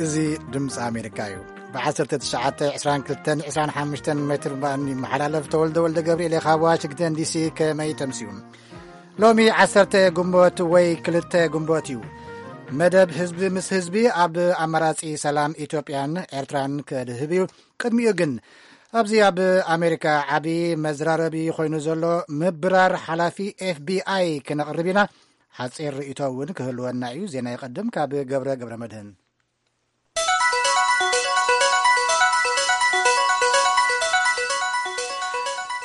እዚ ድምፂ ኣሜሪካ እዩ። ብ1922-25 ሜትር ባንድ ይመሓላለፍ። ተወልደ ወልደ ገብርኤል ካብ ዋሽንግተን ዲሲ። ከመይ ተምስዩ? ሎሚ ዓሰርተ ግንቦት ወይ ክልተ ግንቦት እዩ። መደብ ህዝቢ ምስ ህዝቢ ኣብ ኣማራጺ ሰላም ኢትዮጵያን ኤርትራን ከድህብ እዩ። ቅድሚኡ ግን ኣብዚ ኣብ ኣሜሪካ ዓቢ መዝራረቢ ኮይኑ ዘሎ ምብራር ሓላፊ ኤፍቢኣይ ክነቕርብ ኢና። ሓጺር ርእይቶ እውን ክህልወና እዩ። ዜና ይቐድም ካብ ገብረ ገብረ መድህን።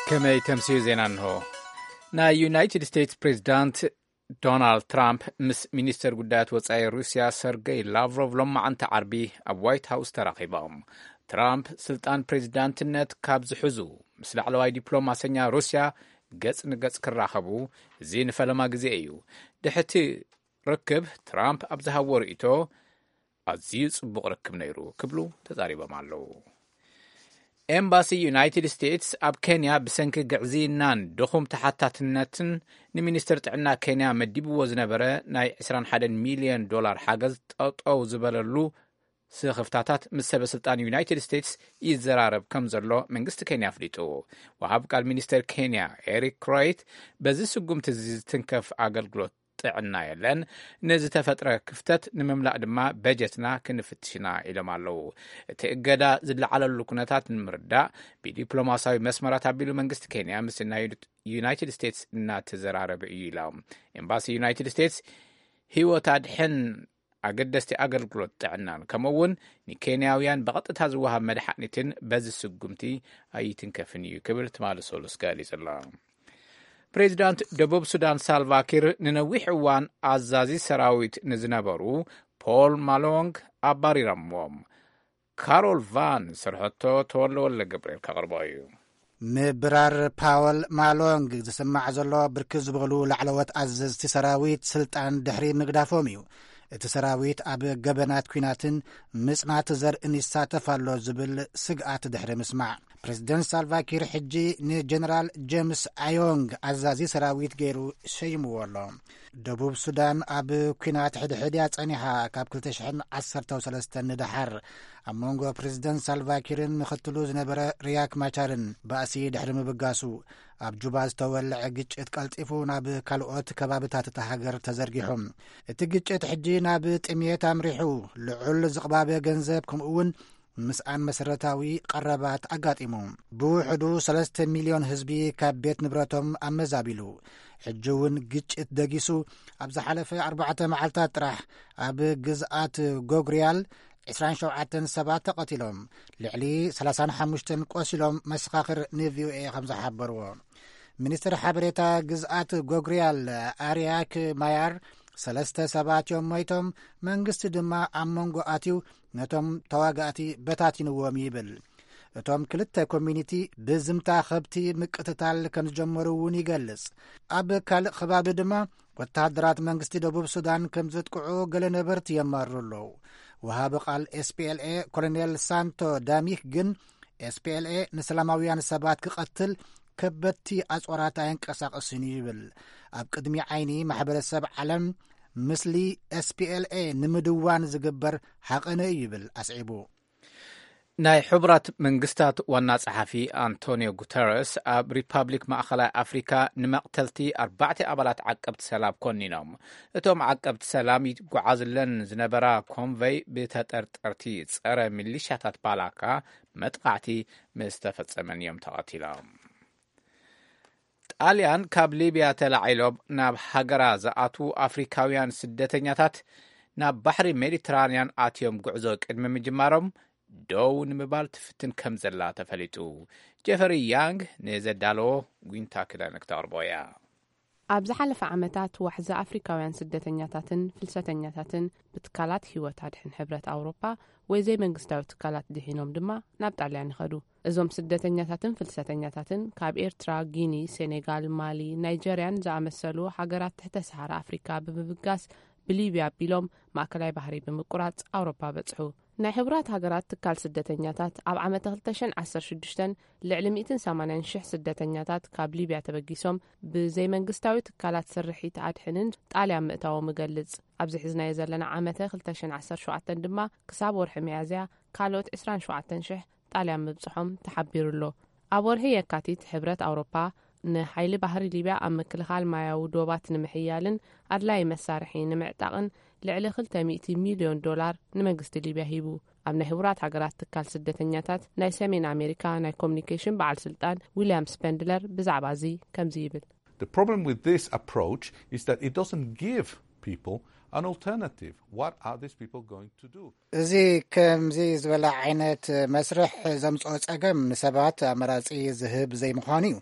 ከመይ ተምስዩ ዜና እንሆ። ናይ ዩናይትድ ስቴትስ ፕሬዚዳንት ዶናልድ ትራምፕ ምስ ሚኒስተር ጉዳያት ወጻኢ ሩስያ ሰርገይ ላቭሮቭ ሎማዓንቲ ዓርቢ ኣብ ዋይት ሃውስ ተራኺቦም። ትራምፕ ስልጣን ፕሬዚዳንትነት ካብ ዝሕዙ ምስ ላዕለዋይ ዲፕሎማሰኛ ሩስያ ገጽ ንገጽ ክራኸቡ እዚ ንፈለማ ግዜ እዩ። ድሕቲ ርክብ ትራምፕ ኣብ ዝሃቦ ርእይቶ ኣዝዩ ጽቡቕ ርክብ ነይሩ ክብሉ ተዛሪቦም ኣለዉ። ኤምባሲ ዩናይትድ ስቴትስ ኣብ ኬንያ ብሰንኪ ግዕዝይናን ድኹም ተሓታትነትን ንሚኒስትር ጥዕና ኬንያ መዲብዎ ዝነበረ ናይ 21 ሚልዮን ዶላር ሓገዝ ጠጠው ዝበለሉ ስኽፍታታት ምስ ሰበ ስልጣን ዩናይትድ ስቴትስ ይዘራረብ ከም ዘሎ መንግስቲ ኬንያ ኣፍሊጡ። ወሃብ ቃል ሚኒስተር ኬንያ ኤሪክ ክሮይት በዚ ስጉምቲ እዚ ዝትንከፍ ኣገልግሎት ጥዕና የለን፣ ንዝተፈጥረ ክፍተት ንምምላእ ድማ በጀትና ክንፍትሽና ኢሎም ኣለዉ። እቲ እገዳ ዝለዓለሉ ኩነታት ንምርዳእ ብዲፕሎማሲያዊ መስመራት ኣቢሉ መንግስቲ ኬንያ ምስ ናይ ዩናይትድ ስቴትስ እናተዘራረበ እዩ ኢሎም። ኤምባሲ ዩናይትድ ስቴትስ ህይወት ኣድሕን ኣገደስቲ ኣገልግሎት ጥዕናን ከምኡ እውን ንኬንያውያን ብቐጥታ ዝወሃብ መድሓኒትን በዚ ስጉምቲ ኣይትንከፍን እዩ ክብል ትማሊ ሰሉስ ገሊጹ ኣሎ። ፕሬዚዳንት ደቡብ ሱዳን ሳልቫኪር ንነዊሕ እዋን ኣዛዚ ሰራዊት ንዝነበሩ ፖል ማሎንግ ኣባሪሮምዎም። ካሮል ቫን ዝሰርሐቶ ተወልደ ወልደ ገብርኤል ከቕርቦ እዩ። ምብራር ፓወል ማሎንግ ዝስማዕ ዘሎ ብርክት ዝበሉ ላዕለዎት ኣዘዝቲ ሰራዊት ስልጣን ድሕሪ ምግዳፎም እዩ። እቲ ሰራዊት ኣብ ገበናት ኲናትን ምጽናት ዘርእን ይሳተፍ ኣሎ ዝብል ስግኣት ድሕሪ ምስማዕ፣ ፕሬዚደንት ሳልቫኪር ሕጂ ንጀነራል ጀምስ ኣዮንግ ኣዛዚ ሰራዊት ገይሩ ሸይምዎ ኣሎ። ደቡብ ሱዳን ኣብ ኲናት ሕድሕድ እያ ጸኒሓ ካብ 2013 ንደሓር። ኣብ መንጎ ፕሬዚደንት ሳልቫኪርን ምኽትሉ ዝነበረ ሪያክ ማቻርን ባእሲ ድሕሪ ምብጋሱ፣ ኣብ ጁባ ዝተወልዐ ግጭት ቀልጢፉ ናብ ካልኦት ከባብታት እታ ሃገር ተዘርጊሑ። እቲ ግጭት ሕጂ ናብ ጥሜት ኣምሪሑ፣ ልዑል ዝቕባበ ገንዘብ ከምኡ እውን ምስኣን መሰረታዊ ቀረባት ኣጋጢሙ። ብውሕዱ 3 ሚልዮን ህዝቢ ካብ ቤት ንብረቶም ኣመዛቢሉ። ሕጂ እውን ግጭት ደጊሱ፣ ኣብ ዝሓለፈ ኣርባዕተ መዓልታት ጥራሕ ኣብ ግዝኣት ጎግሪያል 27 ሰባት ተቐቲሎም፣ ልዕሊ 35 ቆሲሎም መሰኻኽር ንቪኦኤ ከም ዝሓበርዎ። ሚኒስትር ሓበሬታ ግዝኣት ጎግሪያል ኣርያክ ማያር፣ ሰለስተ ሰባት እዮም ሞይቶም፣ መንግስቲ ድማ ኣብ መንጎ ኣትዩ ነቶም ተዋጋእቲ በታቲንዎም ይብል። እቶም ክልተ ኮሚኒቲ ብዝምታ ከብቲ ምቅትታል ከም ዝጀመሩ እውን ይገልጽ። ኣብ ካልእ ከባቢ ድማ ወተሃደራት መንግስቲ ደቡብ ሱዳን ከም ዘጥቅዑ ገለ ነበርቲ የማርሩ ኣለዉ። ወሃቢ ቃል ኤስፒኤልኤ ኮሎኔል ሳንቶ ዳሚክ ግን ኤስፒኤልኤ ንሰላማውያን ሰባት ክቐትል ከበድቲ ኣጽዋራት ኣየንቀሳቕስን እዩ ይብል። ኣብ ቅድሚ ዓይኒ ማሕበረሰብ ዓለም ምስሊ ኤስፒኤልኤ ንምድዋን ዝግበር ሃቐነ እዩ ይብል ኣስዒቡ። ናይ ሕቡራት መንግስታት ዋና ጸሓፊ ኣንቶኒዮ ጉተረስ ኣብ ሪፓብሊክ ማእኸላይ ኣፍሪካ ንመቕተልቲ ኣርባዕተ ኣባላት ዓቀብቲ ሰላም ኮኒኖም። እቶም ዓቀብቲ ሰላም ይጓዓዝለን ዝነበራ ኮንቨይ ብተጠርጠርቲ ጸረ ሚሊሻታት ባላካ መጥቓዕቲ ምስ ተፈጸመን እዮም ተቐቲሎም። ጣልያን ካብ ሊብያ ተላዒሎም ናብ ሃገራ ዝኣትዉ ኣፍሪካውያን ስደተኛታት ናብ ባሕሪ ሜዲትራንያን ኣትዮም ጉዕዞ ቅድሚ ምጅማሮም ደው ንምባል ትፍትን ከም ዘላ ተፈሊጡ። ጀፈሪ ያንግ ንዘዳለዎ ዊንታ ክዳነ ክተቕርቦ እያ። ኣብ ዝሓለፈ ዓመታት ዋሕዚ ኣፍሪካውያን ስደተኛታትን ፍልሰተኛታትን ብትካላት ህይወት ኣድሕን ሕብረት ኣውሮፓ ወይ ዘይመንግስታዊ ትካላት ድሒኖም ድማ ናብ ጣልያን ይኸዱ። እዞም ስደተኛታትን ፍልሰተኛታትን ካብ ኤርትራ፣ ጊኒ፣ ሴኔጋል፣ ማሊ፣ ናይጀርያን ዝኣመሰሉ ሃገራት ትሕተ ሰሃራ ኣፍሪካ ብምብጋስ ብሊብያ ኣቢሎም ማእከላይ ባህሪ ብምቁራጽ ኣውሮፓ በጽሑ። ናይ ሕቡራት ሃገራት ትካል ስደተኛታት ኣብ ዓመተ ክልተ ሽሕን ዓሰርተ ሽዱሽተን ልዕሊ ሚእትን ሰማንያን ሽሕ ስደተኛታት ካብ ሊብያ ተበጊሶም ብዘይመንግስታዊ ትካላት ስርሒት ኣድሕንን ጣልያን ምእታዎም እገልጽ። ኣብዚ ሒዝናዮ ዘለና ዓመተ ክልተ ሽሕን ዓሰርተ ሸውዓተን ድማ ክሳብ ወርሒ ሚያዝያ ካልኦት ዕስራን ሸውዓተን ሽሕ ጣልያን ምብጽሖም ተሓቢሩ ኣሎ። ኣብ ወርሒ የካቲት ሕብረት ኣውሮፓ ንሓይሊ ባሕሪ ሊብያ ኣብ ምክልኻል ማያዊ ዶባት ንምሕያልን ኣድላዪ መሳርሒ ንምዕጣቕን ልዕሊ ክልተ ሚእቲ ሚልዮን ዶላር ንመንግስቲ ሊብያ ሂቡ። ኣብ ናይ ሕቡራት ሃገራት ትካል ስደተኛታት ናይ ሰሜን ኣሜሪካ ናይ ኮሚኒኬሽን በዓል ስልጣን ዊልያም ስፐንድለር ብዛዕባ እዚ ከምዚ ይብል። The problem with this approach is that it doesn't give people an alternative. What are these people going to do? እዚ ከምዚ ዝበለ ዓይነት መስርሕ ዘምጽኦ ጸገም ንሰባት ኣመራጺ ዝህብ ዘይምዃኑ እዩ።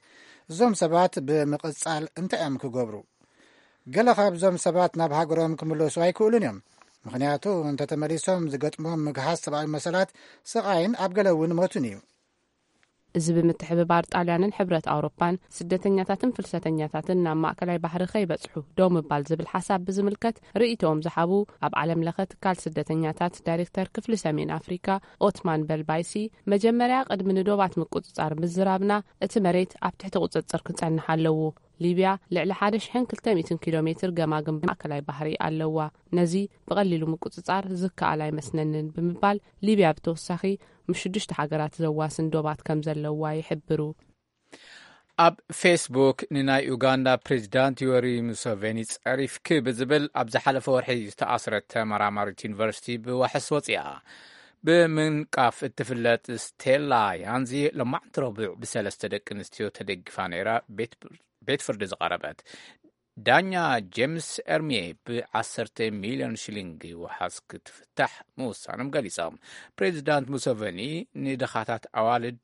እዞም ሰባት ብምቕጻል እንታይ እዮም ክገብሩ? ገለ ካብዞም ሰባት ናብ ሃገሮም ክምለሱ ኣይክእሉን እዮም። ምኽንያቱ እንተተመሊሶም ዝገጥሞም ምግሃስ ሰብኣዊ መሰላት፣ ስቓይን ኣብ ገለ እውን ሞትን እዩ። እዚ ብምትሕብባር ጣልያንን ሕብረት ኣውሮፓን ስደተኛታትን ፍልሰተኛታትን ናብ ማእከላይ ባሕሪ ከይበጽሑ ደው ምባል ዝብል ሓሳብ ብዝምልከት ርእይቶኦም ዝሃቡ ኣብ ዓለም ለኸ ትካል ስደተኛታት ዳይሬክተር ክፍሊ ሰሜን ኣፍሪካ ኦትማን በልባይሲ፣ መጀመርያ ቅድሚ ንዶባት ምቁጽጻር ምዝራብና እቲ መሬት ኣብ ትሕቲ ቁጽጽር ክጸንሕ ኣለዎ። ሊብያ ልዕሊ ሓደ ሽሕን ክልተ ሚእትን ኪሎ ሜትር ገማግም ማእከላይ ባሕሪ ኣለዋ። ነዚ ብቐሊሉ ምቁጽጻር ዝከኣል ኣይመስለንን ብምባል ሊብያ ብተወሳኺ ምስ ሽዱሽተ ሃገራት ዘዋስን ዶባት ከም ዘለዋ ይሕብሩ። ኣብ ፌስቡክ ንናይ ኡጋንዳ ፕሬዚዳንት ዮሪ ሙሰቬኒ ጸሪፍኪ ብዝብል ኣብ ዝሓለፈ ወርሒ ዝተኣስረት ተመራማሪት ዩኒቨርሲቲ ብዋሕስ ወፂኣ። ብምንቃፍ እትፍለጥ ስቴላ ያንዚ ሎማዕንቲ ረቡዕ ብሰለስተ ደቂ ኣንስትዮ ተደጊፋ ነይራ ቤት ፍርዲ ዝቐረበት። ዳኛ ጄምስ ኤርሚየ ብዓሰርተ ሚልዮን ሽሊንግ ዋሕስ ክትፍታሕ ምውሳኖም ገሊጾም። ፕሬዚዳንት ሙሰቨኒ ንድኻታት ኣዋልድ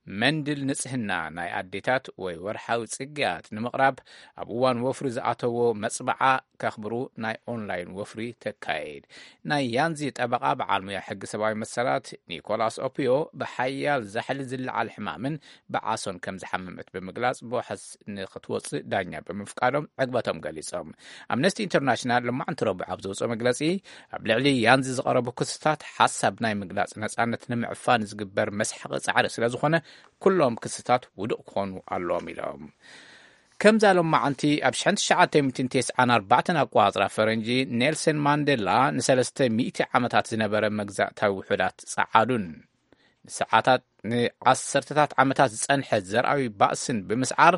መንድል ንጽህና ናይ ኣዴታት ወይ ወርሓዊ ጽግያት ንምቕራብ ኣብ እዋን ወፍሪ ዝኣተዎ መጽባዓ ከኽብሩ ናይ ኦንላይን ወፍሪ ተካየድ። ናይ ያንዚ ጠበቓ በዓል ሙያ ሕጊ ሰብኣዊ መሰላት ኒኮላስ ኦፒዮ ብሓያል ዛሕሊ ዝለዓል ሕማምን ብዓሶን ከም ዝሓመመት ብምግላጽ ብዋሕስ ንክትወጽእ ዳኛ ብምፍቃዶም ዕግበቶም ገሊጾም። ኣምነስቲ ኢንተርናሽናል ሎማዕንቲ ረቡዕ ኣብ ዘውፅኦ መግለጺ ኣብ ልዕሊ ያንዚ ዝቐረቡ ክስታት ሓሳብ ናይ ምግላጽ ነጻነት ንምዕፋን ዝግበር መስሓቂ ጻዕሪ ስለ ዝኾነ ኩሎም ክስታት ውዱቕ ክኾኑ ኣለዎም ኢሎም። ከምዛ ሎማዓንቲ ኣብ ሽሕን ትሽዓተ ሚእትን ተስዓን ኣርባዕተን ኣቋጽራ ፈረንጂ ኔልሰን ማንዴላ ንሰለስተ ሚእቲ ዓመታት ዝነበረ መግዛእታዊ ውሑዳት ጸዓዱን ንሰዓታት ንዓሰርተታት ዓመታት ዝጸንሐ ዘርኣዊ ባእስን ብምስዓር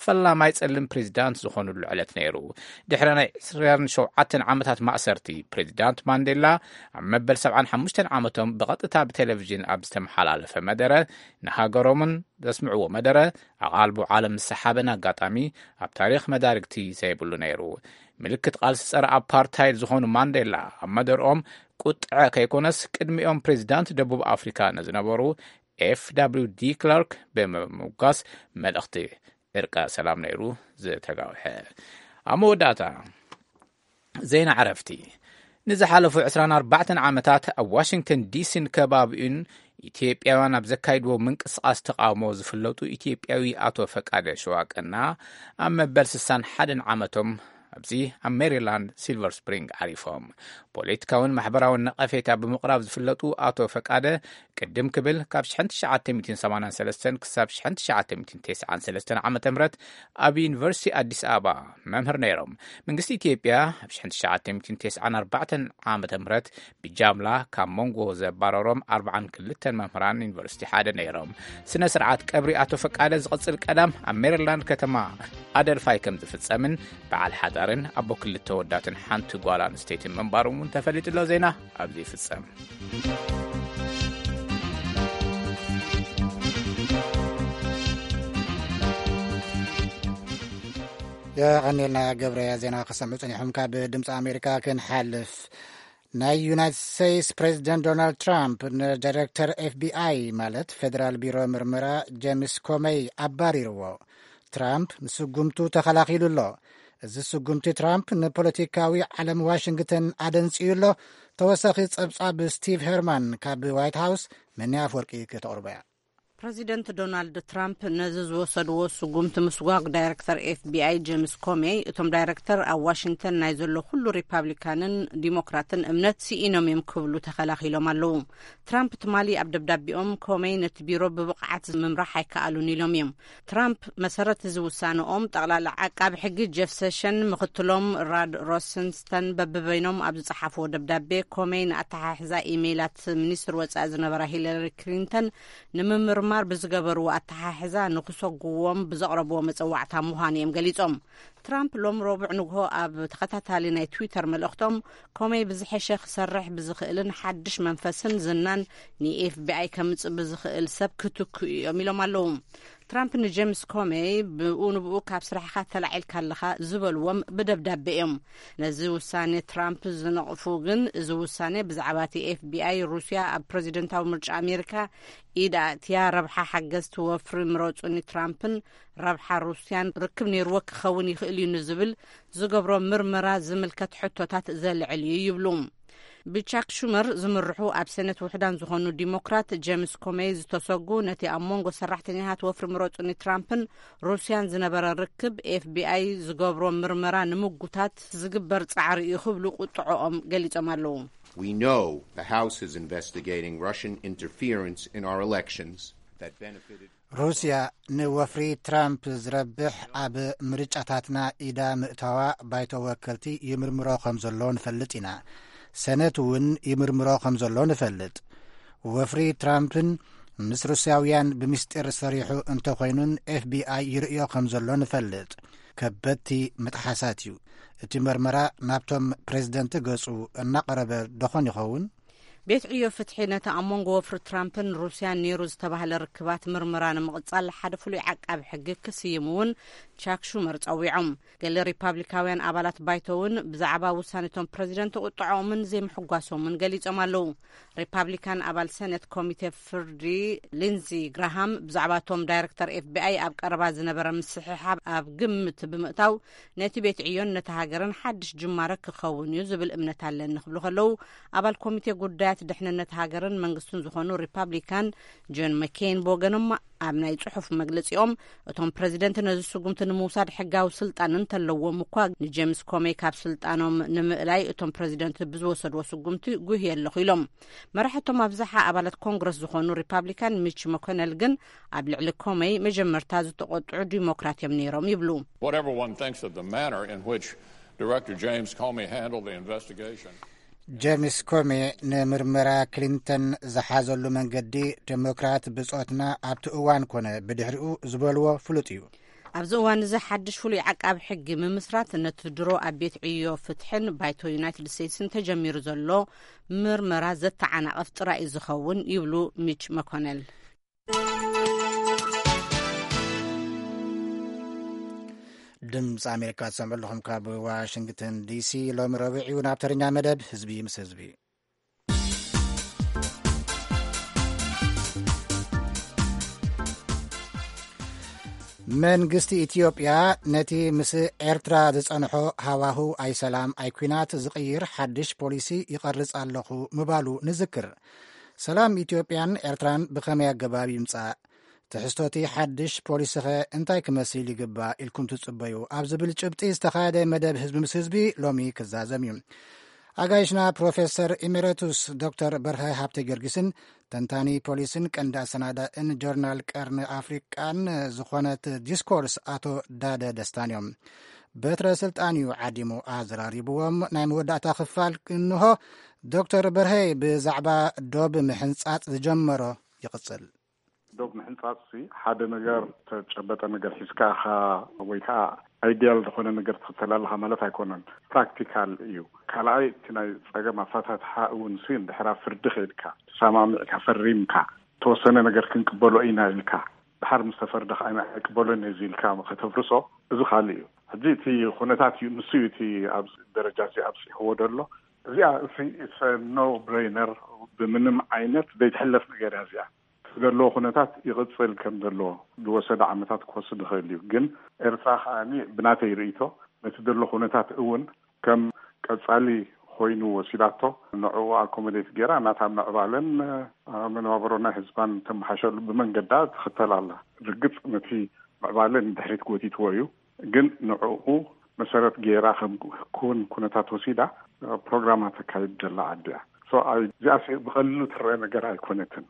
ፈላማይ ጸሊም ፕሬዚዳንት ዝኾኑሉ ዕለት ነይሩ። ድሕሪ ናይ ዕስራን ሸውዓተን ዓመታት ማእሰርቲ ፕሬዚዳንት ማንዴላ ኣብ መበል ሰብዓን ሓሙሽተን ዓመቶም ብቐጥታ ብቴሌቪዥን ኣብ ዝተመሓላለፈ መደረ ንሃገሮምን ዘስምዕዎ መደረ ኣቓልቦ ዓለም ዝሰሓበን ኣጋጣሚ ኣብ ታሪኽ መዳርግቲ ዘይብሉ ነይሩ። ምልክት ቃልሲ ጸረ ኣፓርታይድ ዝኾኑ ማንዴላ ኣብ መደርኦም ቁጥዐ ከይኮነስ ቅድሚኦም ፕሬዚዳንት ደቡብ ኣፍሪካ ንዝነበሩ ኤፍ ደብሊው ዲ ክላርክ ብምምጓስ መልእኽቲ ዕርቀ ሰላም ነይሩ ዝተጋውሐ። ኣብ መወዳእታ ዜና ዕረፍቲ። ንዝሓለፉ ዕስራን ኣርባዕተን ዓመታት ኣብ ዋሽንግተን ዲሲን ከባቢኡን ኢትዮጵያውያን ኣብ ዘካይድዎ ምንቅስቓስ ተቓውሞ ዝፍለጡ ኢትዮጵያዊ ኣቶ ፈቃደ ሸዋቀና ኣብ መበል ስሳን ሓደን ዓመቶም ኣብዚ ኣብ ሜሪላንድ ሲልቨር ስፕሪንግ ዓሪፎም። ፖለቲካውን ማሕበራውን ነቐፌታ ብምቕራብ ዝፍለጡ ኣቶ ፈቃደ ቅድም ክብል ካብ ሽሕን ትሽዓተ ሚእትን ሰማንያን ሰለስተን ክሳብ ሽሕን ትሽዓተ ሚእትን ተስዓን ሰለስተን ዓመተ ምህረት ኣብ ዩኒቨርሲቲ ኣዲስ ኣበባ መምህር ነይሮም። መንግስቲ ኢትዮጵያ ኣብ ሽሕን ትሽዓተ ሚእትን ተስዓን ኣርባዕተን ዓመተ ምህረት ብጃምላ ካብ መንጎ ዘባረሮም ኣርባዓን ክልተን መምህራን ዩኒቨርሲቲ ሓደ ነይሮም። ስነ ስርዓት ቀብሪ ኣቶ ፈቃደ ዝቕጽል ቀዳም ኣብ ሜሪላንድ ከተማ ኣደልፋይ ከም ዝፍጸምን በዓል ሓዳርን ኣቦ ክልተ ወዳትን ሓንቲ ጓል ኣንስተይትን ምንባሮም እውን ተፈሊጡ ኣሎ። ዜና ኣብዚ ይፍጸም። የቐኔልና ገብረያ ዜና ከሰምዑ ጸኒሖም። ካብ ድምፂ ኣሜሪካ ክንሓልፍ ናይ ዩናይትድ ስቴትስ ፕሬዚደንት ዶናልድ ትራምፕ ንዳይሬክተር ኤፍቢኣይ ማለት ፌዴራል ቢሮ ምርመራ ጄምስ ኮመይ ኣባሪርዎ። ትራምፕ ንስጉምቱ ተኸላኺሉ ኣሎ። እዚ ስጉምቲ ትራምፕ ንፖለቲካዊ ዓለም ዋሽንግተን ኣደንጽዩ ኣሎ። ተወሳኺ ጸብጻብ ስቲቭ ሄርማን ካብ ዋይት ሃውስ። መኒ ኣፍወርቂ ከተቕርቦ እያ። ፕረዚደንት ዶናልድ ትራምፕ ነዚ ዝወሰድዎ ስጉምቲ ምስጓግ ዳይረክተር ኤፍቢኣይ ጄምስ ኮሜይ፣ እቶም ዳይረክተር ኣብ ዋሽንግተን ናይ ዘሎ ኩሉ ሪፓብሊካንን ዲሞክራትን እምነት ስኢኖም እዮም ክብሉ ተኸላኺሎም ኣለዉ። ትራምፕ ትማሊ ኣብ ደብዳቤኦም፣ ኮሜይ ነቲ ቢሮ ብብቕዓት ምምራሕ ኣይከኣሉን ኢሎም እዮም። ትራምፕ መሰረት እዚ ውሳነኦም፣ ጠቕላላ ዓቃቢ ሕጊ ጀፍ ሴሽን፣ ምኽትሎም ራድ ሮሰንስተን በብበይኖም ኣብ ዝጸሓፍዎ ደብዳቤ፣ ኮሜይ ንኣተሓሕዛ ኢሜይላት ሚኒስትር ወጻኢ ዝነበራ ሂለሪ ክሊንተን ንምምርማር ብዝገበርዎ ኣተሓሕዛ ንክሰጉዎም ብዘቕረብዎ መጸዋዕታ ምዃኑ እዮም ገሊጾም። ትራምፕ ሎም ረቡዕ ንግሆ ኣብ ተኸታታሊ ናይ ትዊተር መልእኽቶም፣ ኮሜይ ብዝሐሸ ክሰርሕ ብዝኽእልን ሓድሽ መንፈስን ዝናን ንኤፍቢኣይ ከምጽእ ብዝኽእል ሰብ ክትክኡ እዮም ኢሎም ኣለዉ። ትራምፕ ንጄምስ ኮሜይ፣ ብኡ ንብኡ ካብ ስራሕኻ ተላዒልካ ኣለኻ ዝበልዎም ብደብዳቤ እዮም። ነዚ ውሳኔ ትራምፕ ዝነቕፉ ግን፣ እዚ ውሳኔ ብዛዕባ እቲ ኤፍቢኣይ ሩስያ ኣብ ፕረዚደንታዊ ምርጫ ኣሜሪካ ኢድ ኣእትያ፣ ረብሓ ሓገዝቲ ወፍሪ ምረጹኒ ትራምፕን ረብሓ ሩስያን ርክብ ነይርዎ ክኸውን ይኽእል እዩ ንዝብል ዝገብሮ ምርመራ ዝምልከት ሕቶታት ዘልዕል እዩ ይብሉ። ብቻክ ሹመር ዝምርሑ ኣብ ሴኔት ውሕዳን ዝኾኑ ዲሞክራት ጄምስ ኮሜይ ዝተሰጉ፣ ነቲ ኣብ መንጎ ሰራሕተኛታት ወፍሪ ምረጹኒ ትራምፕን ሩስያን ዝነበረ ርክብ፣ ኤፍቢኣይ ዝገብሮ ምርመራ ንምጉታት ዝግበር ጻዕሪ እዩ ክብሉ ቁጥዖኦም ገሊጾም ኣለዉ። We know the House is investigating Russian interference in our elections that benefited. ሩስያ ንወፍሪ ትራምፕ ዝረብሕ ኣብ ምርጫታትና ኢዳ ምእታዋ ባይቶ ወከልቲ ይምርምሮ ከም ዘሎ ንፈልጥ ኢና። ሰነት እውን ይምርምሮ ከም ዘሎ ንፈልጥ። ወፍሪ ትራምፕን ምስ ሩስያውያን ብምስጢር ሰሪሑ እንተኾይኑን ኤፍቢኣይ ይርእዮ ከም ዘሎ ንፈልጥ። ከበድቲ ምጥሓሳት እዩ። እቲ መርመራ ናብቶም ፕሬዝደንት ገጹ እናቐረበ ደኾን ይኸውን? ቤት ዕዮ ፍትሒ ነቲ ኣብ መንጎ ወፍሪ ትራምፕን ሩስያን ነይሩ ዝተባህለ ርክባት ምርመራ ንምቕጻል ሓደ ፍሉይ ዓቃቢ ሕጊ ክስይሙ እውን ቻክ ሹመር ጸዊዖም። ገለ ሪፓብሊካውያን ኣባላት ባይቶ እውን ብዛዕባ ውሳኔቶም ፕረዚደንት ቁጥዐኦምን ዘይምሕጓሶምን ገሊጾም ኣለዉ። ሪፓብሊካን ኣባል ሰኔት ኮሚቴ ፍርዲ ሊንዚ ግራሃም ብዛዕባ እቶም ዳይረክተር ኤፍቢኣይ ኣብ ቀረባ ዝነበረ ምስሕሓብ ኣብ ግምት ብምእታው፣ ነቲ ቤት ዕዮን ነቲ ሃገርን ሓድሽ ጅማረ ክኸውን እዩ ዝብል እምነት ኣለኒ ክብሉ ከለዉ፣ ኣባል ኮሚቴ ጉዳያት ድሕንነት ሃገርን መንግስትን ዝኾኑ ሪፓብሊካን ጆን መኬን ብወገኖም ኣብ ናይ ጽሑፍ መግለጺኦም፣ እቶም ፕረዚደንት ነዚ ስጉምቲ ንምውሳድ ሕጋዊ ስልጣን እንተለዎም እኳ፣ ንጄምስ ኮሜይ ካብ ስልጣኖም ንምእላይ እቶም ፕረዚደንት ብዝወሰድዎ ስጉምቲ ጉህየ ኣለኹ ኢሎም። መራሕቶም ኣብዝሓ ኣባላት ኮንግረስ ዝኾኑ ሪፓብሊካን ሚች መኮነል ግን ኣብ ልዕሊ ኮሜይ መጀመርታ ዝተቆጥዑ ዲሞክራት እዮም ነይሮም ይብሉ። Whatever one thinks of the manner in which Director James Comey handled the investigation. ጄምስ ኮሜ ንምርመራ ክሊንተን ዝሓዘሉ መንገዲ፣ ዴሞክራት ብጾትና ኣብቲ እዋን ኮነ ብድሕሪኡ ዝበልዎ ፍሉጥ እዩ። ኣብዚ እዋን እዚ ሓድሽ ፍሉይ ዓቃቢ ሕጊ ምምስራት ነቲ ድሮ ኣብ ቤት ዕዮ ፍትሕን ባይቶ ዩናይትድ ስቴትስን ተጀሚሩ ዘሎ ምርመራ ዘተዓናቕፍ ጥራይ እዩ ዝኸውን ይብሉ ሚች መኮነል። ድምፂ ኣሜሪካ ትሰምዑ ኣለኹም ካብ ዋሽንግተን ዲሲ። ሎሚ ረቡዕ እዩ። ናብ ተረኛ መደብ ህዝቢ ምስ ህዝቢ። መንግስቲ ኢትዮጵያ ነቲ ምስ ኤርትራ ዝጸንሖ ሃዋህው ኣይሰላም ኣይኲናት ዝቕይር ሓድሽ ፖሊሲ ይቐርጽ ኣለኹ ምባሉ ንዝክር። ሰላም ኢትዮጵያን ኤርትራን ብኸመይ ኣገባብ ይምጻእ? ትሕዝቶ እቲ ሓድሽ ፖሊሲኸ እንታይ ክመስል ይግባእ ኢልኩም ትጽበዩ? ኣብ ዝብል ጭብጢ ዝተኻየደ መደብ ህዝቢ ምስ ህዝቢ ሎሚ ክዛዘም እዩ። ኣጋይሽና ፕሮፌሰር ኢሜረቱስ ዶክተር በርሀ ሃብተ ጊዮርጊስን ተንታኒ ፖሊሲን ቀንዲ ኣሰናዳእን ጆርናል ቀርኒ ኣፍሪቃን ዝኾነት ዲስኮርስ ኣቶ ዳደ ደስታን እዮም። በትረ ስልጣን እዩ ዓዲሙ ኣዘራሪብዎም። ናይ መወዳእታ ክፋል እንሆ። ዶክተር በርሀ ብዛዕባ ዶብ ምሕንጻጽ ዝጀመሮ ይቕጽል። ዶብ ምሕንጻጽ ሲ ሓደ ነገር፣ ተጨበጠ ነገር ሒዝካ ኢኻ ወይ ከዓ ኣይዲያል ዝኾነ ነገር ትኽተል ኣለኻ ማለት ኣይኮነን። ፕራክቲካል እዩ። ካልኣይ፣ እቲ ናይ ጸገም ኣፈታትሓ እውን ሲ እንድሕር ኣብ ፍርዲ ከይድካ፣ ተሰማሚዕካ፣ ፈሪምካ፣ ተወሰነ ነገር ክንቅበሎ ኢና ኢልካ፣ ድሓር ምስ ተፈርደ ከዓ ኣይቅበሎን እየ ኢልካ ከተፍርሶ፣ እዚ ካልእ እዩ። ሕጂ እቲ ኩነታት እዩ፣ ንሱ እዩ እቲ ኣብዚ ደረጃ እዚ ኣብፂሕዎ ደሎ። እዚኣ እሲ it's a no brainer፣ ብምንም ዓይነት ዘይትሕለፍ ነገር እያ እዚኣ። እቲ ዘለዎ ኩነታት ይቕጽል ከም ዘለዎ ዝወሰደ ዓመታት ክወስድ ይኽእል እዩ። ግን ኤርትራ ከዓኒ ብናተይ ርእይቶ ነቲ ዘሎ ኩነታት እውን ከም ቀጻሊ ኮይኑ ወሲዳቶ። ንዕኡ ኣኮሞዴት ገይራ ናታ ምዕባለን መነባብሮ ናይ ህዝባን ተመሓሸሉ ብመንገዳ ትኽተል ኣላ። ርግጽ ነቲ ምዕባለ ንድሕሪት ጎቲትዎ እዩ፣ ግን ንዕኡ መሰረት ገይራ ከም ክውን ኩነታት ወሲዳ ፕሮግራማ ተካይድ ዘላ ዓዲ እያ። እዚኣ ብቐልሉ ትረአ ነገር ኣይኮነትን።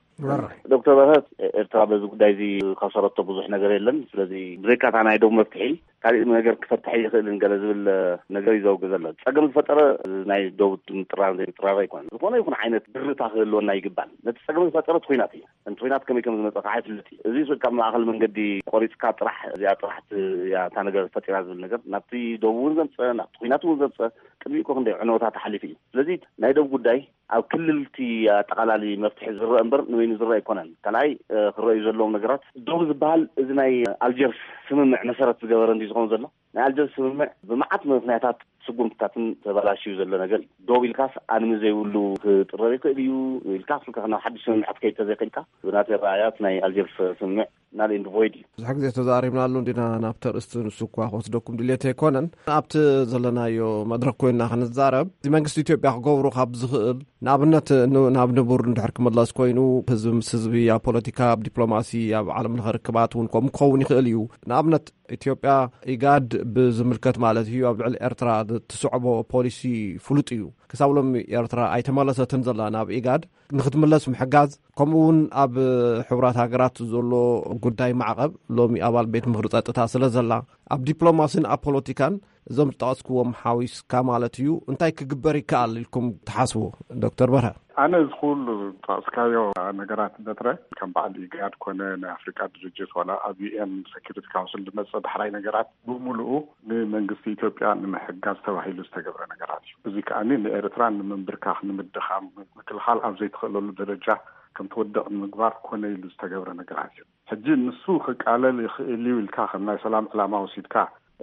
ዶክተር በረሀት፣ ኤርትራ በዚ ጉዳይ እዚ ካሰረቶ ብዙሕ ነገር የለን። ስለዚ ብዘይካታ ናይ ደቡብ መፍትሒ ካሊእ ነገር ክፈትሐ ይኽእልን ገለ ዝብል ነገር እዩ ዘውግ ዘሎ። ጸገም ዝፈጠረ ናይ ደቡብ ምጥራር ዘይምጥራር ኣይኮነን። ዝኾነ ይኹን ዓይነት ድርታ ክህልወና ይግባል። ነቲ ጸገም ዝፈጠረ እቲ ኹናት እዩ። እቲ ኹናት ከመይ ከም ዝመጸ ከዓ ይፍለጥ እዩ። እዚ ካብ ማእኸል መንገዲ ቆሪጽካ ጥራሕ እዚኣ ጥራሕ እያ እታ ነገር ፈጢራ ዝብል ነገር ናብቲ ደቡብ እውን ዘምጸ ናብቲ ኹናት እውን ዘምጸ ቅድሚኡ እኮ ክንደይ ዕንወታት ኣሕሊፉ እዩ። ስለዚ ናይ ደቡብ ጉዳይ ኣብ ክልልቲ ኣጠቓላሊ መፍትሒ ዝረአ እምበር ንበይኑ ዝረአ ኣይኮነን። ካልኣይ ክረኣዩ ዘለዎም ነገራት ደቡብ ዝበሃል እዚ ናይ ኣልጀርስ ስምምዕ መሰረት ዝገበረ እንዲ ዝኸውን ዘሎ ናይ ኣልጀርስ ስምምዕ ብመዓት ምክንያታት ስጉምትታትን ተበላሽዩ ዘሎ ነገር እዩ። ደቡብ ኢልካስ ኣንሚ ዘይብሉ ክጥረር ይኽእል እዩ ኢልካ ኣፍልካ ናብ ሓድሽ ስምምዕ ክትከይድ ተዘይኽእልካ ብናተይ ረኣያት ናይ ኣልጀርስ ስምምዕ ናል ኤንድ ቮይድ እዩ። ብዙሕ ግዜ ተዛሪብናሉ እንዲና ናብቲ ኣርእስቲ። ንሱ እኳ ክወስደኩም ድሌት ኣይኮነን። ኣብቲ ዘለናዮ መድረክ ኮይንና ክንዛረብ እዚ መንግስቲ ኢትዮጵያ ክገብሩ ካብ ዝኽእል ንኣብነት ናብ ንቡር እንድሕር ክምለስ ኮይኑ ህዝቢ ምስ ህዝቢ ኣብ ፖለቲካ ኣብ ዲፕሎማሲ ኣብ ዓለም ለኸ ርክባት እውን ከምኡ ክኸውን ይኽእል እዩ። ንኣብነት ኢትዮጵያ ኢጋድ ብዝምልከት ማለት እዩ ኣብ ልዕሊ ኤርትራ ትስዕቦ ፖሊሲ ፍሉጥ እዩ። ክሳብ ሎሚ ኤርትራ ኣይተመለሰትን ዘላ ናብ ኢጋድ። ንክትምለስ ምሕጋዝ ከምኡ እውን ኣብ ሕቡራት ሃገራት ዘሎ ጉዳይ ማዕቐብ ሎሚ ኣባል ቤት ምኽሪ ጸጥታ ስለ ዘላ ኣብ ዲፕሎማሲን ኣብ ፖለቲካን እዞም ዝጠቐስክዎም ሓዊስካ ማለት እዩ እንታይ ክግበር ይከኣል ኢልኩም ትሓስቡ? ዶክተር በርሀ። ኣነ እዚ ኩሉ ዝጠቐስካዮ ነገራት በትረ ከም በዓል ኢጋድ ኮነ ናይ ኣፍሪቃ ድርጅት ዋላ ኣብ ዩኤን ሴኪሪቲ ካውንስል ዝመፀ ዳሕራይ ነገራት ብምሉኡ ንመንግስቲ ኢትዮጵያ ንምሕጋዝ ተባሂሉ ዝተገብረ ነገራት እዩ። እዚ ከዓኒ ንኤርትራ ንምንብርካኽ ንምድኻም ምክልኻል ኣብ ዘይትኽእለሉ ደረጃ ከም ትወድቕ ንምግባር ኮነ ኢሉ ዝተገብረ ነገራት እዩ። ሕጂ ንሱ ክቃለል ይኽእል እዩ ኢልካ ከም ናይ ሰላም ዕላማ ወሲድካ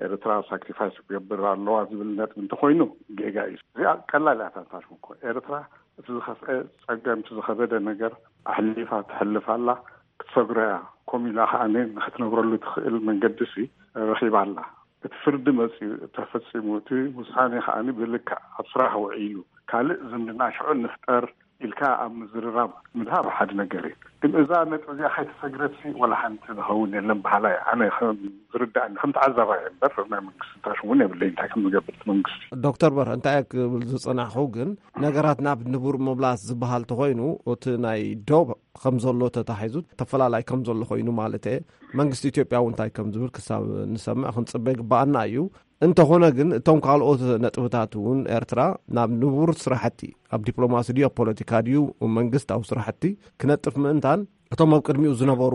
ኤርትራ ሳክሪፋይስ ክገብር ኣለዋ ዝብል ነጥቢ እንተኮይኑ ጌጋ እዩ። እዚኣ ቀላል እያ። ታንታሽም እኮ ኤርትራ እቲ ዝኸፍአ ጸገም እቲ ዝኸበደ ነገር ኣሕሊፋ ትሕልፍ ኣላ። ክትሰግሮ እያ። ኮሚላ ከዓኒ ንክትነብረሉ ትኽእል መንገዲ ሲ ረኺባ ኣላ። እቲ ፍርዲ መጺኡ ተፈጺሙ እቲ ውሳኔ ከዓኒ ብልክዕ ኣብ ስራሕ ውዒሉ ካልእ ዝምድና ሽዑ ንፍጠር ኢልካ ኣብ ምዝርራብ ምድሃብ ሓደ ነገር እዩ። ግን እዛ ነጥቢ እዚኣ ከይተሰግረትሲ ዋላ ሓንቲ ዝኸውን የለን በሃላይ ኣነ ከም ዝርዳእኒ ከም ተዓዛባይ እምበር ናይ መንግስቲ ታሽ እውን የብለይ እንታይ ከም ዝገብር እቲ መንግስቲ። ዶክተር በርሀ እንታይ ክብል ዝጸናሕኹ ግን ነገራት ናብ ንቡር ምምላስ ዝበሃል ተኾይኑ እቲ ናይ ዶብ ከም ዘሎ ተታሒዙ ተፈላላይ ከም ዘሎ ኮይኑ ማለት እየ። መንግስቲ ኢትዮጵያ እውን እንታይ ከም ዝብል ክሳብ ንሰምዕ ክንጽበ ይግባኣና እዩ። እንተኾነ ግን እቶም ካልኦት ነጥብታት እውን ኤርትራ ናብ ንቡር ስራሕቲ ኣብ ዲፕሎማሲ ድዩ ኣብ ፖለቲካ ድዩ መንግስታዊ ስራሕቲ ክነጥፍ ምእንታን እቶም ኣብ ቅድሚኡ ዝነበሩ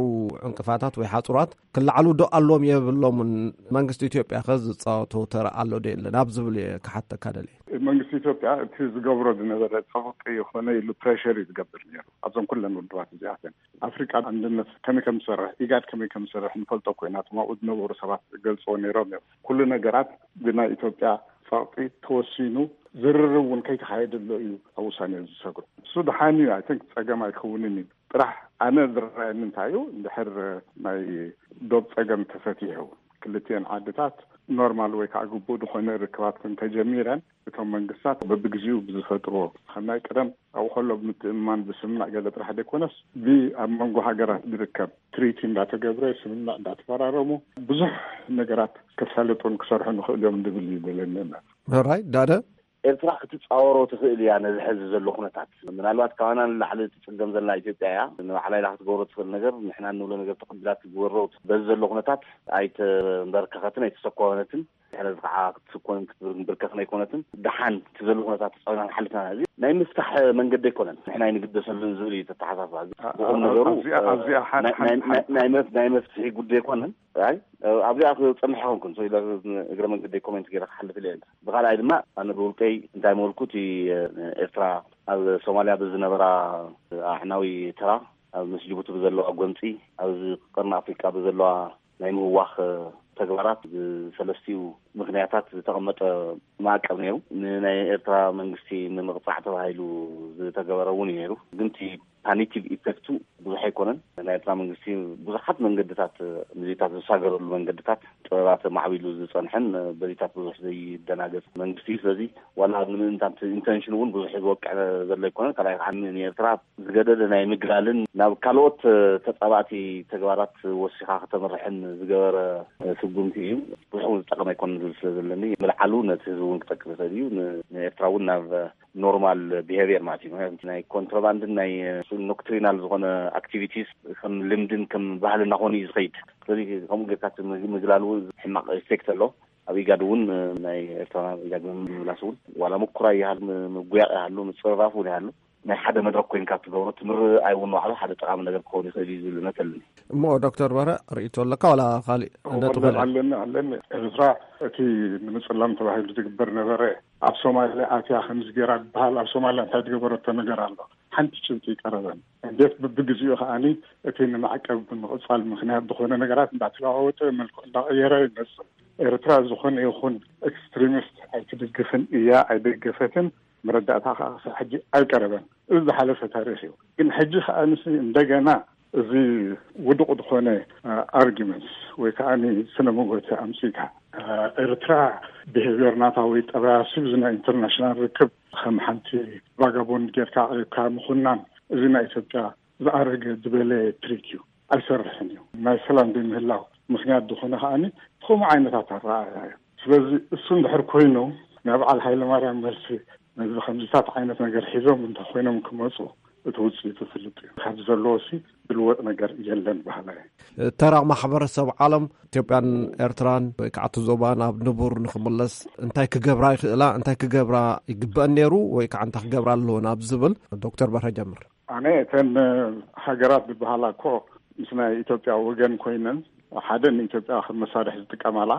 ዕንቅፋታት ወይ ሓጹራት ክለዓሉ ዶ ኣለዎም የብሎምን መንግስቲ ኢትዮጵያ ከ ዝጻወቶ ተራ ኣሎ ዶ የለን ኣብ ዝብል እየ ክሓተካ ደልየ። መንግስቲ ኢትዮጵያ እቲ ዝገብሮ ዝነበረ ጸቕጢ ይኾነ ኢሉ ፕሬሸር እዩ ዝገብር ነይሩ ኣብዞም ኩለን ውድባት እዚኣተን። ኣፍሪቃ ኣንድነት ከመይ ከም ዝሰርሕ ኢጋድ ከመይ ከም ዝሰርሕ ንፈልጦ ኮይና እቶም ኣብኡ ዝነበሩ ሰባት ገልጽዎ ነይሮም እዮም። ኩሉ ነገራት ብናይ ኢትዮጵያ ጸቕጢ ተወሲኑ ዝርርብ እውን ከይተኻየደሎ እዩ ኣብ ውሳኔ ዝሰግሩ። እሱ ደሓን እዩ። ኣይ ቲንክ ጸገም ኣይከውንን እዩ። ጥራሕ ኣነ ዝረኣየኒ እንታይ እዩ እንድሕር ናይ ዶብ ጸገም ተፈቲሑ ክልቲኤን ዓድታት ኖርማል ወይ ከዓ ግቡእ ዝኾነ ርክባት እንተጀሚረን እቶም መንግስታት በብግዜኡ ብዝፈጥርዎ ከም ናይ ቀደም ኣብኡ ከሎ ብምትእምማን ብስምምዕ ገለ ጥራሕ ዘይኮነስ ብ ኣብ መንጎ ሃገራት ዝርከብ ትሪቲ እንዳተገብረ ስምምዕ እንዳተፈራረሙ ብዙሕ ነገራት ክሳለጡን ክሰርሑ ንኽእል እዮም ዝብል እዩ ዘለኒ እምነት። ራይ ዳደ ኤርትራ ክትጻወሮ ትኽእል እያ ነዚ ሕዚ ዘሎ ኩነታት። ምናልባት ካባና ንላዕሊ ትጽገም ዘላ ኢትዮጵያ እያ። ንባዕላ ኢላ ክትገብሮ ትኽእል ነገር ንሕና እንብሎ ነገር ተቐቢላ ትግበሮ በዚ ዘሎ ኩነታት ኣይተንበርከኸትን ኣይተሰኮነትን። ሕዚ ከዓ ክትስኮንን ክትንብርከኽን ኣይኮነትን። ደሓን እቲ ዘሎ ኩነታት ተጻዊና ንሓልፍና እዚ ናይ ምፍታሕ መንገዲ ኣይኮነን። ንሕና ኣይንግደሰሉን ዝብል እዩ ተተሓሳስባ። ብቁም ነገሩ ኣብዚኣ- ኣብዚኣ ሓን- ናይ- ሓን- ናይ- ሓን- ናይ መፍ- ናይ መፍትሒ ጉዳይ ኣይኮነን። ኣይ ኣብዚኣ ክጸንሕ ይኾንኩን ሰው ኢለ እግረ መንገዲ ኮሜንት ገይረ ክሓልፍ ኢለ። ብኻልኣይ ድማ ኣነ ብውልቀይ እንታይ መበልኩ እቲ ኤርትራ ኣብ ሶማልያ ብዝነበራ ኣዕናዊ ተራ ኣብ ምስ ጅቡቲ ብዘለዋ ጎንፂ ኣብዚ ቀርኒ ኣፍሪቃ ብዘለዋ ናይ ምህዋኽ ተግባራት ብሰለስቲኡ ምክንያታት ዝተቐመጠ ማዕቀብ ነይሩ። ንናይ ኤርትራ መንግስቲ ንምቕጻዕ ተባሂሉ ዝተገበረ እውን እዩ ነይሩ። ግን እቲ ፓኒቲቭ ኢፌክቱ ብዙሕ ኣይኮነን። ናይ ኤርትራ መንግስቲ ብዙሓት መንገድታት፣ ንዜታት ዝሳገረሉ መንገድታት ጥበባት ማዕቢሉ ዝጸንሐን በዚታት ብዙሕ ዘይደናገጽ መንግስቲ እዩ። ስለዚ ዋላ ንምእንታን ኢንተንሽን እውን ብዙሕ ዝወቅዕ ዘሎ ኣይኮነን። ካልኣይ ከዓ ንኤርትራ ዝገደደ ናይ ምግላልን ናብ ካልኦት ተጻባእቲ ተግባራት ወሲኻ ከተምርሕን ዝገበረ ስጉምቲ እዩ። ብዙሕ እውን ዝጠቐመ ኣይኮነን ዝብል ስለ ዘለኒ ምልዓሉ ነቲ ህዝቢ እውን ክጠቅም ይኽእል እዩ። ን- ንኤርትራ እውን ናብ ኖርማል ቢሄቪየር ማለት እዩ። ምክንያቱ ናይ ኮንትሮባንድን ናይ ኖክትሪናል ዝኾነ ኣክቲቪቲስ ከም ልምድን ከም ባህልና ኮይኑ እዩ ዝኸይድ። ስለዚ ከምኡ ጌርካ እቲ ምግ- ምግላሉ ሕማቕ ኢፌክት ኣሎ። ኣብ ኢጋድ እውን ናይ ኤርትራ ኢጋድ ምምላስ እውን ዋላ ምኩራይ ይሃሉ፣ ምጉያቕ ይሃሉ፣ ምጽርራፍ እውን ይሃሉ፣ ናይ ሓደ መድረክ ኮይንካ ትገብሮ ትምርኣይ እውን ንባዕሉ ሓደ ጠቓሚ ነገር ክኸውን ይኽእል እዩ ዝብል እምነት ኣለኒ። እሞ ዶክተር በረ ርእይቶ ኣለካ ዋላ ካሊእ ነጥቢ ኣለኒ ኣለኒ። ኤርትራ እቲ ንምጽላም ተባሂሉ ዝግበር ነበረ። ኣብ ሶማልያ ኣትያ ከምዚ ገይራ ዝበሃል፣ ኣብ ሶማልያ እንታይ ዝገበረቶ ነገር ኣሎ? ሓንቲ ጭብጢ ይቀረበን። እንዴት ብብግዜኡ ከኣኒ እቲ ንማዕቀብ ብምቕጻል ምኽንያት ዝኾነ ነገራት እንዳተለዋወጠ፣ መልክዑ እንዳቐየረ ይመጽእ። ኤርትራ ዝኾነ ይኹን ኤክስትሪሚስት ኣይትድግፍን እያ፣ ኣይደገፈትን፣ መረዳእታ ከዓ ክሳብ ሕጂ ኣይቀረበን። እዚ ዝሓለፈ ታሪኽ እዩ። ግን ሕጂ ከዓ ንስ እንደገና እዚ ውዱቕ ዝኾነ ኣርጊመንትስ ወይ ከዓ ስነ መጎተ ኣምፅካ ኤርትራ ብሄቪየር ናታ ወይ ጠባያ ስብዚ ናይ ኢንተርናሽናል ርክብ ከም ሓንቲ ቫጋቦንድ ጌርካ ኣቅሪብካ ምኹናን፣ እዚ ናይ ኢትዮጵያ ዝኣረገ ዝበለ ትሪክ እዩ። ኣይሰርሕን እዩ። ናይ ሰላም ዘይምህላው ምክንያት ዝኾነ ከዓኒ ከምኡ ዓይነታት ኣረኣእያ እዩ። ስለዚ እሱ እንድሕር ኮይኑ ናይ በዓል ሃይለማርያም መልሲ ነዚ ከምዚታት ዓይነት ነገር ሒዞም እንተኾይኖም ክመፁ እቲ ውፅኢቱ ፍልጥ እዩ። ካብ ዘለዎሲ ዝልወጥ ነገር የለን በሃላይ። ተራ ማሕበረሰብ ዓለም ኢትዮጵያን ኤርትራን ወይ ከዓ እቲ ዞባ ናብ ንቡር ንክምለስ እንታይ ክገብራ ይኽእላ፣ እንታይ ክገብራ ይግበአን ነይሩ ወይ ከዓ እንታይ ክገብራ ኣለወን ኣብ ዝብል ዶክተር በርሀ ጀምር። ኣነ እተን ሃገራት ዝበሃላ እኮ ምስ ናይ ኢትዮጵያ ወገን ኮይነን ሓደ ንኢትዮጵያ ከም መሳርሒ ዝጥቀማላ፣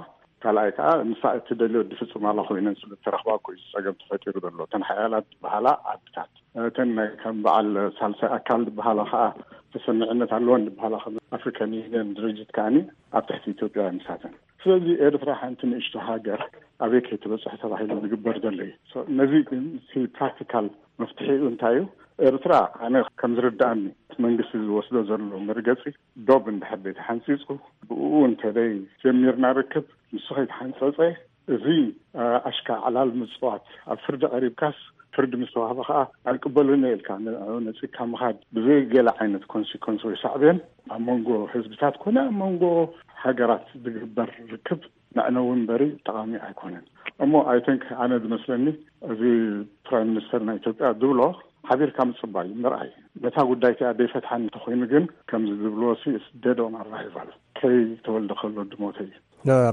ካልኣይ ከዓ ንሳ እትደልዮ ዝፍፅማላ ኮይነን ስለ እተረኽባ እኮ እዩ ጸገም ተፈጢሩ ዘሎ። እተን ሓያላት ዝበሃላ ዓድታት እተን ናይ ከም በዓል ሳልሳይ ኣካል ዝበሃላ ከዓ ተሰሚዕነት ኣለወን ዝበሃላ ከም ኣፍሪካን ዩኒየን ድርጅት ከዓኒ ኣብ ትሕቲ ኢትዮጵያ ንሳተን። ስለዚ ኤርትራ ሓንቲ ንእሽቶ ሃገር ኣበይ ከይትበፅሕ ተባሂሉ ዝግበር ዘሎ እዩ። So ነዚ ግን እቲ ፕራክቲካል መፍትሒኡ እንታይ እዩ? ኤርትራ ኣነ ከም ዝርድኣኒ እቲ መንግስቲ ዝወስዶ ዘሎ መርገፂ ዶብ እንድሕር ዘይተሓንፂፁ ብኡ እንተደይ ጀሚርና ርክብ ንሱ ከይተሓንፀፀ እዚ ኣሽካ ዕላል ምፅዋት ኣብ ፍርዲ ቀሪብካስ ፍርዲ ምስ ተዋህበ ከዓ ኣይቅበልን እየ ኢልካ ንዕኡ ነፂግካ ምኻድ ብዘይ ገለ ዓይነት ኮንሲኮንስ ወይ ሳዕቤን ኣብ መንጎ ህዝብታት ኮነ ኣብ መንጎ ሃገራት ዝግበር ርክብ መዕነዊ እምበሪ ጠቓሚ ኣይኮነን። እሞ ኣይተንክ ኣነ ዝመስለኒ እዚ ፕራይም ሚኒስተር ናይ ኢትዮጵያ ዝብሎ ሓቢርካ ምፅባይ ምርኣይ ነታ ጉዳይ እቲኣ ደይፈትሓን እንተኮይኑ ግን ከምዚ ዝብልዎ ሲ ደድ ኦን ኣራይቫል ከይተወልደ ከሎ ድሞተ እዩ።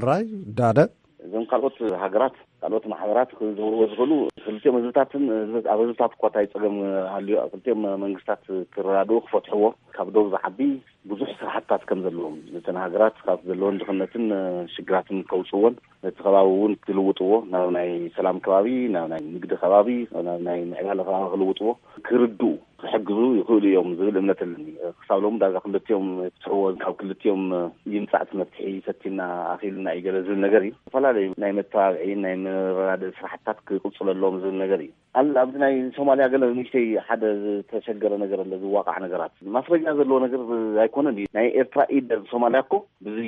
ራይ ዳደ እዞም ካልኦት ሃገራት ካልኦት ማሕበራት ክገብርዎ ዝኽእሉ ክልቲኦም ህዝብታትን ህዝብ- ኣብ ህዝብታት እኳ እንታይ ፀገም ሃልዩ ኣብ ክልቲኦም መንግስታት ክረዳድኡ ክፈትሕዎ ካብ ዶብ ዝዓቢ ብዙሕ ስራሕትታት ከም ዘለዎም ነተን ሃገራት ካብ ዘለዎን ድኽነትን ሽግራትን ከውፅዎን ነቲ ከባቢ እውን ክልውጥዎ ናብ ናይ ሰላም ከባቢ ናብ ናይ ንግዲ ከባቢ ናብ ናይ ምዕባለ ከባቢ ክልውጥዎ ክርድኡ ክሕግዙ ይኽእሉ እዮም ዝብል እምነት ኣለኒ። ክሳብ ሎም ዳጋ ክልቲኦም ፍትሕዎ ካብ ክልቲኦም ይምፃእ እቲ መፍትሒ ሰቲና ኣኺልና እዩ ገለ ዝብል ነገር እዩ። ዝተፈላለዩ ናይ መተባብዒ ናይ መረዳድእ ስራሕትታት ክቅፅለሎም ዝብል ነገር እዩ። ኣብ ኣብዚ ናይ ሶማልያ ገለ ንእሽተይ ሓደ ዝተሸገረ ነገር ኣሎ። ዝዋቃዕ ነገራት ማስረጃ ዘለዎ ነገር ኣይኮነን እዩ። ናይ ኤርትራ ኢድ ኣብ ሶማልያ እኮ ብዚ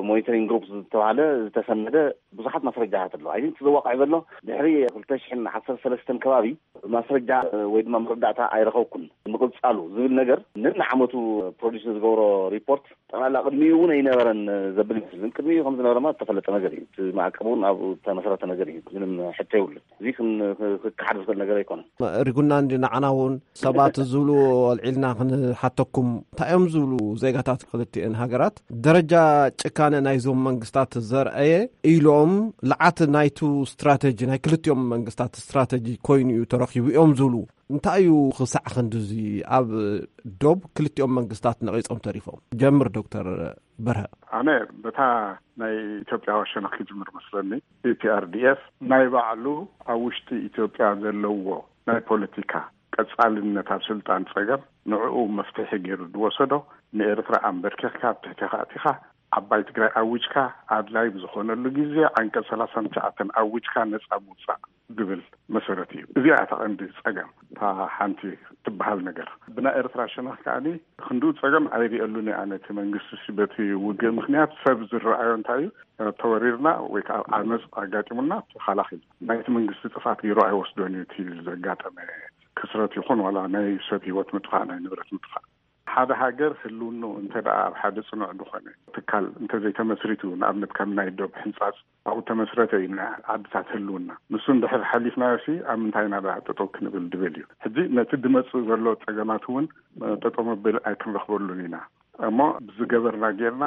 ሞኒተሪንግ ግሩፕ ዝተባሃለ ዝተሰነደ ብዙሓት ማስረጃታት ኣሎ። ኣይ ቲንክ ዝዋቃዕ ዘሎ ድሕሪ ክልተ ሽሕን ዓሰርተ ሰለስተን ከባቢ ማስረጃ ወይ ድማ መረዳእታ ኣይረኸብኩን ምቕፃሉ ዝብል ነገር ነንዓመቱ ፕሮዲስ ዝገብሮ ሪፖርት ጠቕላላ ቅድሚኡ እውን ኣይነበረን ዘብል ይመስል። ግን ቅድሚኡ ከም ዝነበረማ ዝተፈለጠ ነገር እዩ። እቲ ማዕቀብ እውን ኣብኡ ዝተመስረተ ነገር እዩ። ምንም ሕቶ የብሉን። እዚ ክን- ክከሓድ ዝኽእል ነገር ኣይኮነን። ሪጉና እንዲ ንዓና እውን ሰባት ዝብሉ ኣልዒልና ክንሓተኩም እንታይ እዮም ዝብሉ ዜጋታት ክልቲኤን ሃገራት ደረጃ ጭካነ ናይዞም መንግስታት ዘርአየ ኢሎም ልዓት ናይቱ ስትራተጂ ናይ ክልቲኦም መንግስታት ስትራተጂ ኮይኑ እዩ ተረኪቡ እዮም ዝብሉ እንታይ እዩ ክሳዕ ክንድዚ ኣብ ዶብ ክልቲኦም መንግስታት ነቒጾም ተሪፎም ጀምር ዶክተር በርሀ። ኣነ በታ ናይ ኢትዮጵያ ወሸነኽ ክጅምር መስለኒ። ኢፒኣርዲኤፍ ናይ ባዕሉ ኣብ ውሽጢ ኢትዮጵያ ዘለዎ ናይ ፖለቲካ ቀጻልነት ኣብ ስልጣን ጸገም ንዕኡ መፍትሒ ገይሩ ዝወሰዶ ንኤርትራ ኣንበርኪኽካ ኣብ ትሕቲኻ ኣቲኻ ዓባይ ትግራይ ኣዊጅካ ኣድላይ ብዝኾነሉ ግዜ ዓንቀጽ ሰላሳን ትሽዓተን ኣዊጅካ ነጻ ምውጻእ ዝብል መሰረት እዩ። እዚኣ እታ ቀንዲ ጸገም፣ እታ ሓንቲ ትበሃል ነገር። ብናይ ኤርትራ ሸነኽ ከኣኒ ክንድኡ ጸገም ኣይሪኤሉን እየ። ነቲ መንግስቲ ሲ በቲ ውግእ ምኽንያት ሰብ ዝረኣዮ እንታይ እዩ? ተወሪርና ወይ ከዓ ዓመፅ ኣጋጢሙና ተኻላኺሉ ናይቲ መንግስቲ ጥፍኣት ገይሩ ኣይወስዶን እዩ። እቲ ዘጋጠመ ክስረት ይኹን ዋላ ናይ ሰብ ህይወት ምጥፋእ፣ ናይ ንብረት ምጥፋእ፣ ሓደ ሃገር ህልውኑ እንተ ደኣ ኣብ ሓደ ጽኑዕ ዝኾነ ትካል እንተዘይተመስሪቱ፣ ንኣብነት ከም ናይ ዶብ ሕንጻጽ ኣብኡ ተመስረተ እዩ ናይ ዓድታት ህልውና። ንሱ እንድሕር ሓሊፍናዮ ሲ ኣብ ምንታይ ኢና ደኣ ጠጠው ክንብል ድብል እዩ። ሕጂ ነቲ ድመጽእ ዘሎ ጸገማት እውን ጠጠው መበሊ ኣይክንረኽበሉን ኢና። እሞ ብዝገበርና ጌርና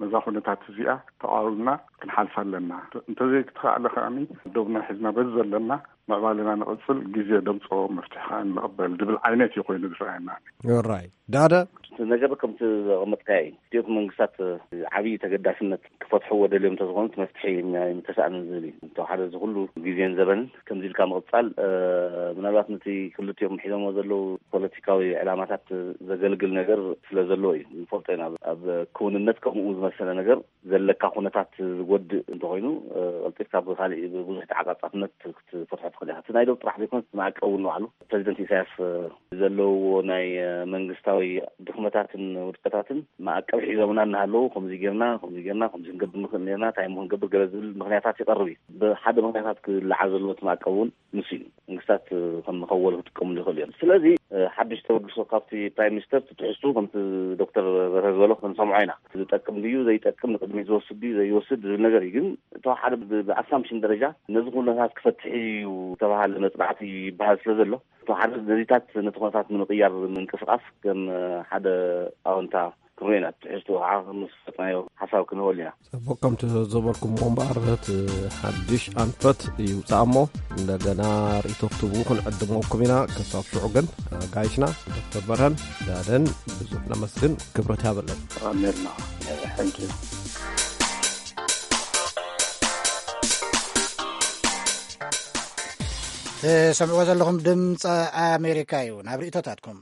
ነዛ ኩነታት እዚኣ ተቓዊምና ክንሓልፋ ኣለና። እንተዘይክተኻእለ ከኣኒ ዶብና ሒዝና በዚ ዘለና ምዕባለና ንቕጽል፣ ግዜ ደምጽኦ መፍትሒ ከኣ ንቕበል ድብል ዓይነት እዩ ኮይኑ ዝረኣየና። ራይ ዳደ እቲ ነገር ከምቲ ዘቐመጥካዮ እዩ። ክልቲኦት መንግስታት ዓብዪ ተገዳስነት ክፈትሕዎ ደልዮም እንተዝኾኑ እቲ መፍትሒ ምተሰኣንን ዝብል እዩ። እንተወሓደ እዚ ኩሉ ግዜን ዘበንን ከምዚ ኢልካ ምቕጻል፣ እ፣ ምናልባት ነቲ ክልቲኦም ሒዞሞ ዘለዉ ፖለቲካዊ ዕላማታት ዘገልግል ነገር ስለ ዘለዎ እዩ። ንፈልጦ ኢና፣ ኣብ ክውንነት ከምኡ ዝመሰለ ነገር ዘለካ ኩነታት ዝጎድእ እንተኾይኑ፣ እ፣ ቀልጢፍካ ብኻሊእ ብብዙሕ ተዓጻጻፍነት ክትፈትሖ ትኽእል ኢኻ። እቲ ናይ ዶብ ጥራሕ ዘይኮነስ እቲ ማዕቀብ እውን ንባዕሉ ፕረዚደንት ኢሳያስ፣ እ፣ ዘለውዎ ናይ፣ እ፣ መንግስታዊ ድኽመታትን ውድቀታትን ማዕቀብ ሒዞምና እናሃለዉ ከምዚ ጌርና፣ ከምዚ ጌርና፣ ከምዚ ክንገብር ንኽእል ኔርና፣ እንታይ እሞ ክንገብር ገለ ዝብል ምኽንያታት ይቐርብ እዩ። ብሓደ ምኽንያታት ክለዓል ዘለዎ እቲ ማዕቀብ እውን ንሱ እዩ። መንግስታት ከም መኸወል ክጥቀምሉ ይኽእሉ እዮም። ስለዚ፣ እ፣ ሓድሽ ተበግሶ ካብቲ ፕራይም ሚኒስተር ትትሕዝቱ ከምቲ ዶክተር በርሀ ዝበሎ ክንሰምዖ ኢና። ዝጠቅም ድዩ ዘይጠቅም፣ ንቅድሚት ዝወስድ ድዩ ዘይወስድ ዝብል ነገር እዩ። ግን ተወሓደ ብ-፣ ብኣሳምፕሽን ደረጃ ነዚ ኩነታት ክፈትሕ እዩ ዝተባሃለ መጽናዕቲ ይበሃል ስለ ዘሎ፣ ተወሓደ ነዚታት ነቲ ኩነታት ንምቕያር ምንቅስቃስ ከም፣ እ፣ ሓደ ኣወንታ ክንሪኦ ኢና። ትሕዝቶ ከዓ ምስ ፈጥናዮ ሓሳብ ክንህበሉ ኢና። ጽቡቕ፣ ከምቲ ዘበልኩምዎ እምበኣር፣ እቲ ሓድሽ ኣንፈት ይውጻእ እሞ እንደገና ርእይቶ ክትህቡ ክንዕድመኩም ኢና። ክሳብ ሽዑ ግን ኣጋይሽና ዶክተር በርሀን ዳደን ብዙሕ ነመስግን፣ ክብረት ያበለን። ኣሜርና። Thank you። ትሰምዕዎ ዘለኹም ድምፂ ኣሜሪካ እዩ። ናብ ርእይቶታትኩም።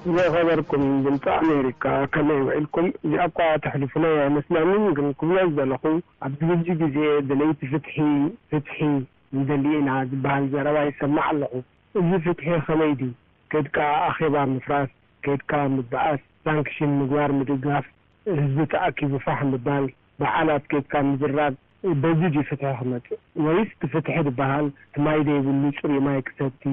ዝኸበርኩም ድምፂ ኣሜሪካ፣ ከመይ ውዒልኩም? እዚኣ እኳ ተሕልፉለይ ኣይመስለንን፣ ግን ክብሎ ዝደለኹ፣ ኣብዚ ሕጂ ግዜ ደለይቲ ፍትሒ፣ ፍትሒ ንደሊ ኢና ዝበሃል ዘረባ ይሰማዕ ኣለኹ። እዚ ፍትሒ ከመይ ድዩ? ከድካ ኣኼባ ምፍራስ፣ ከድካ ምበኣስ፣ ሳንክሽን ምግባር፣ ምድጋፍ፣ ህዝቢ ተኣኪቡ ፋሕ ምባል፣ በዓላት ኬድካ ምዝራብ፣ በዚ ድዩ ፍትሒ ክመጽእ? ወይስ እቲ ፍትሒ ዝበሃል እቲ ማይ ዘይብሉ ጽሩይ ማይ ክሰቲ፣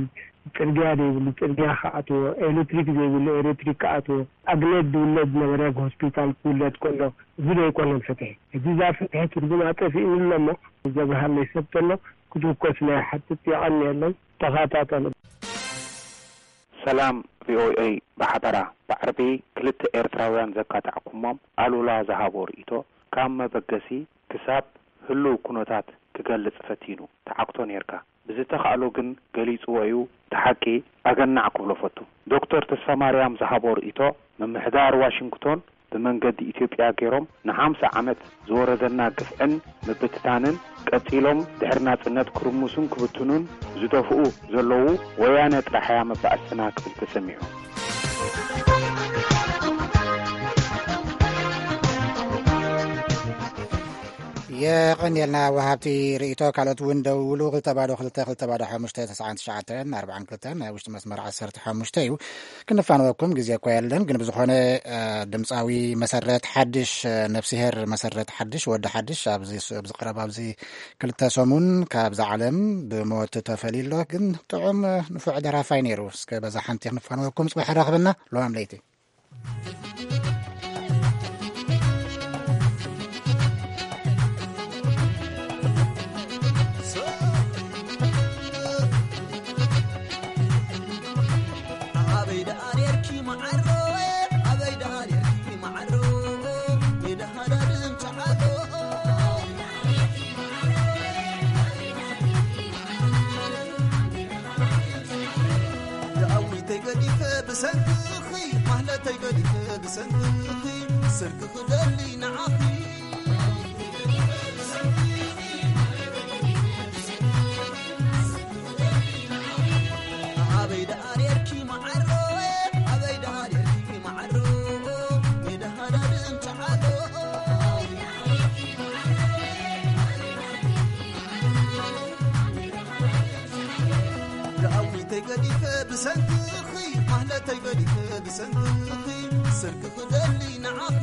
ጽርግያ ዘይብሉ ጽርግያ ክኣትዎ፣ ኤሌክትሪክ ዘይብሉ ኤሌክትሪክ ክኣትዎ፣ ኣግነት ዝውለድ ዝነበረ ሆስፒታል ክውለድ ከሎ፣ እዚ ዶ ኣይኮነን ፍትሒ? ሕጂ እዛ ፍትሒ ትርጉማ ጠፊእኒ ኣሎ እሞ፣ ዘብርሃለይ ሰብ ተሎ ክትውከስ ኢለ ይሓትት። የቐንየለይ። ተኸታተሉ። ሰላም ቪኦኤ፣ ብሓበራ ብዓርቢ ክልተ ኤርትራውያን ዘካታዕኩሞም ኣሉላ ዝሃቦ ርእይቶ፣ ካብ መበገሲ ክሳብ ህሉው ኩነታት ክገልጽ ፈቲኑ፣ ተዓግቶ ኔርካ። ብዝተኻእሎ ግን ገሊጽዎ እዩ፣ እቲ ሓቂ ኣገናዕ ክብሎ ፈቱ። ዶክተር ተስፋማርያም ዝሃቦ ርእይቶ፣ ምምሕዳር ዋሽንግቶን ብመንገዲ ኢትዮጵያ ገይሮም ንሓምሳ ዓመት ዝወረደና ግፍዕን ምብትታንን ቀጺሎም ድሕሪ ናጽነት ክርምሱን ክብትኑን ዝደፍኡ ዘለዉ ወያነ ጥራሕ እያ መባእስትና ክብል ተሰሚዑ። የቐንየልና ወሃብቲ ርእይቶ። ካልኦት እውን ደውሉ። ክልተ ባዶ ክልተ፣ ክልተ ባዶ ሓሙሽተ፣ ተስዓን ትሽዓተን ኣርባዓን ክልተን ናይ ውሽጢ መስመር ዓሰርተ ሓሙሽተ እዩ። ክንፋንወኩም ግዜ እኳ የለን፣ ግን ብዝኾነ፣ እ፣ ድምፃዊ መሰረት ሓድሽ፣ እ፣ ነፍስሄር መሰረት ሓድሽ፣ ወዲ ሓድሽ፣ ኣብዚ ስ-፣ ኣብዚ ቀረባ ኣብዚ ክልተ ሰሙን ካብዛ ዓለም ብሞት ተፈልዩ ኣሎ። ግን ጥዑም፣ እ፣ ንፉዕ ደራፋይ ነይሩ። እስከ በዛ ሓንቲ ክንፋንወኩም፣ ጽባሕ ራኽበና። ለዋም ለይቲ። ኣበይ ደኣ ኔርኪ መዓሮ? ኣበይ ደኣ ኔርኪ መዓሮ? የደሃዳድም ጸዓዶ። ደኣዊተይ ገዲፈ ብሰንክኺ፣ ማህለተይ ገዲፈ ብሰንክኺ፣ ስርቂ ክደሊ ንዓኺ። ኣበይ ደኣ ብሰንክኺ ማህለተይ በሊኸ ብሰንክኺ ስርቂ ክደሊ ንዓኺ